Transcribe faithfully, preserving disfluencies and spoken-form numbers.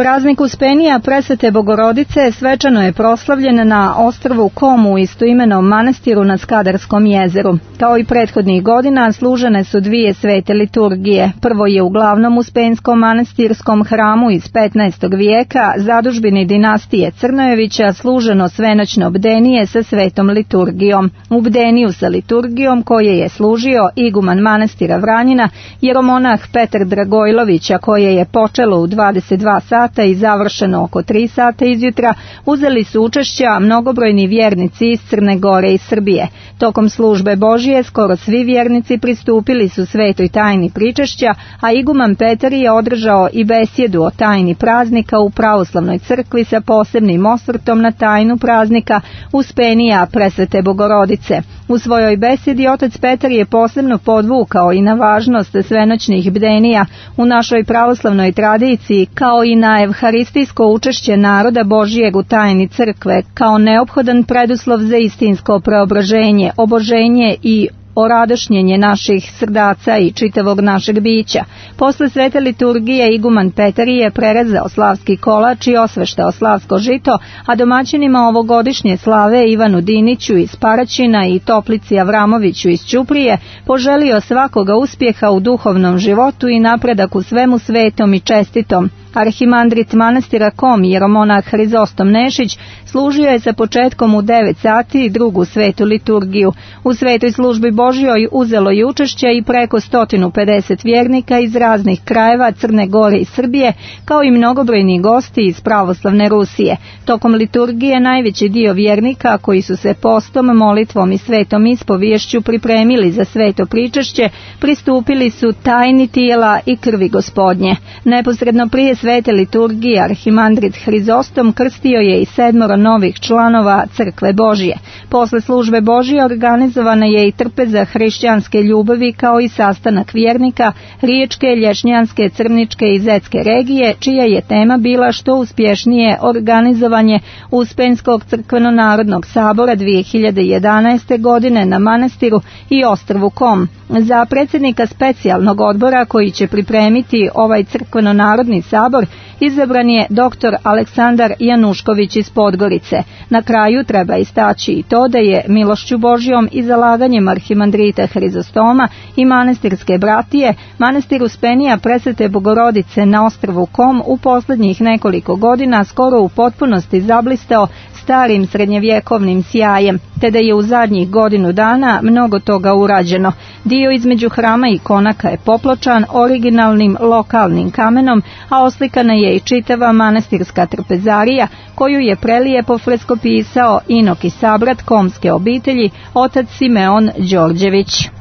Praznik Uspenija Presvete Bogorodice svečano je proslavljen na ostrvu Kom u istoimenom manastiru na Skadarskom jezeru. Kao i prethodnih godina služene su dvije svete liturgije. Prvo je u glavnom Uspenskom manastirskom hramu iz petnaestog vijeka, zadužbini dinastije Crnojevića, služeno svenoćno bdenije sa svetom liturgijom. U bdeniju sa liturgijom koje je služio iguman manastira Vranjina, jeromonah Petar Dragojlović, a koje je počelo u dvadeset dva sata i završeno oko tri sata izjutra, uzeli su učešća mnogobrojni vjernici iz Crne Gore i Srbije. Tokom službe Božije skoro svi vjernici pristupili su svetoj tajni pričešća, a iguman Petar je održao i besjedu o tajni praznika u pravoslavnoj crkvi sa posebnim osvrtom na tajnu praznika Uspenija Presvete Bogorodice. U svojoj besjedi otac Petar je posebno podvukao i na važnost svenoćnih bdenija u našoj pravoslavnoj tradiciji, kao i na evharistijsko učešće naroda Božijeg u tajni crkve, kao neophodan preduslov za istinsko preobraženje, oboženje i oradošnjenje naših srdaca i čitavog našeg bića. Posle svete liturgije iguman Petar je prerezao slavski kolač i osveštao slavsko žito, a domaćinima ovogodišnje slave Ivanu Diniću iz Paraćina i Toplici Avramoviću iz Ćuprije poželio svakoga uspjeha u duhovnom životu i napredak u svemu svetom i čestitom. Arhimandrit manastira Kom, jeromonah Hrizostom Nešić, služio je sa početkom u devet sati drugu svetu liturgiju. U svetoj službi Božjoj uzelo je učešće i preko sto pedeset vjernika iz raznih krajeva Crne Gore i Srbije, kao i mnogobrojni gosti iz pravoslavne Rusije. Tokom liturgije najveći dio vjernika koji su se postom, molitvom i svetom ispoviješću pripremili za sveto pričešće, pristupili su tajni tijela i krvi Gospodnje. Neposredno prije svete liturgije arhimandrit Hrizostom krstio je i sedmoro novih članova Crkve Božije. Posle službe Božije organizovana je i trpeza hrišćanske ljubavi, kao i sastanak vjernika Riječke, Lješnjanske, Crničke i Zetske regije, čija je tema bila što uspješnije organizovanje Uspenskog crkveno-narodnog sabora dvije hiljade jedanaeste. godine na manastiru i ostrvu Kom. Za predsjednika specijalnog odbora koji će pripremiti ovaj crkveno-narodni sabor izabran je doktor Aleksandar Janušković iz Podgorice. Na kraju treba istaći i to da je milošću Božjom i zalaganjem arhimandrita Hrizostoma i manastirske bratije manastir Uspenija Presvete Bogorodice na ostrvu Kom u posljednjih nekoliko godina skoro u potpunosti zablistao starim srednjevjekovnim sjajem, te da je u zadnjih godinu dana mnogo toga urađeno. Dio između hrama i konaka je popločan originalnim lokalnim kamenom, a oslikana je i čitava manastirska trpezarija, koju je prelijepo freskopisao inok i sabrat komske obitelji, otac Simeon Đorđević.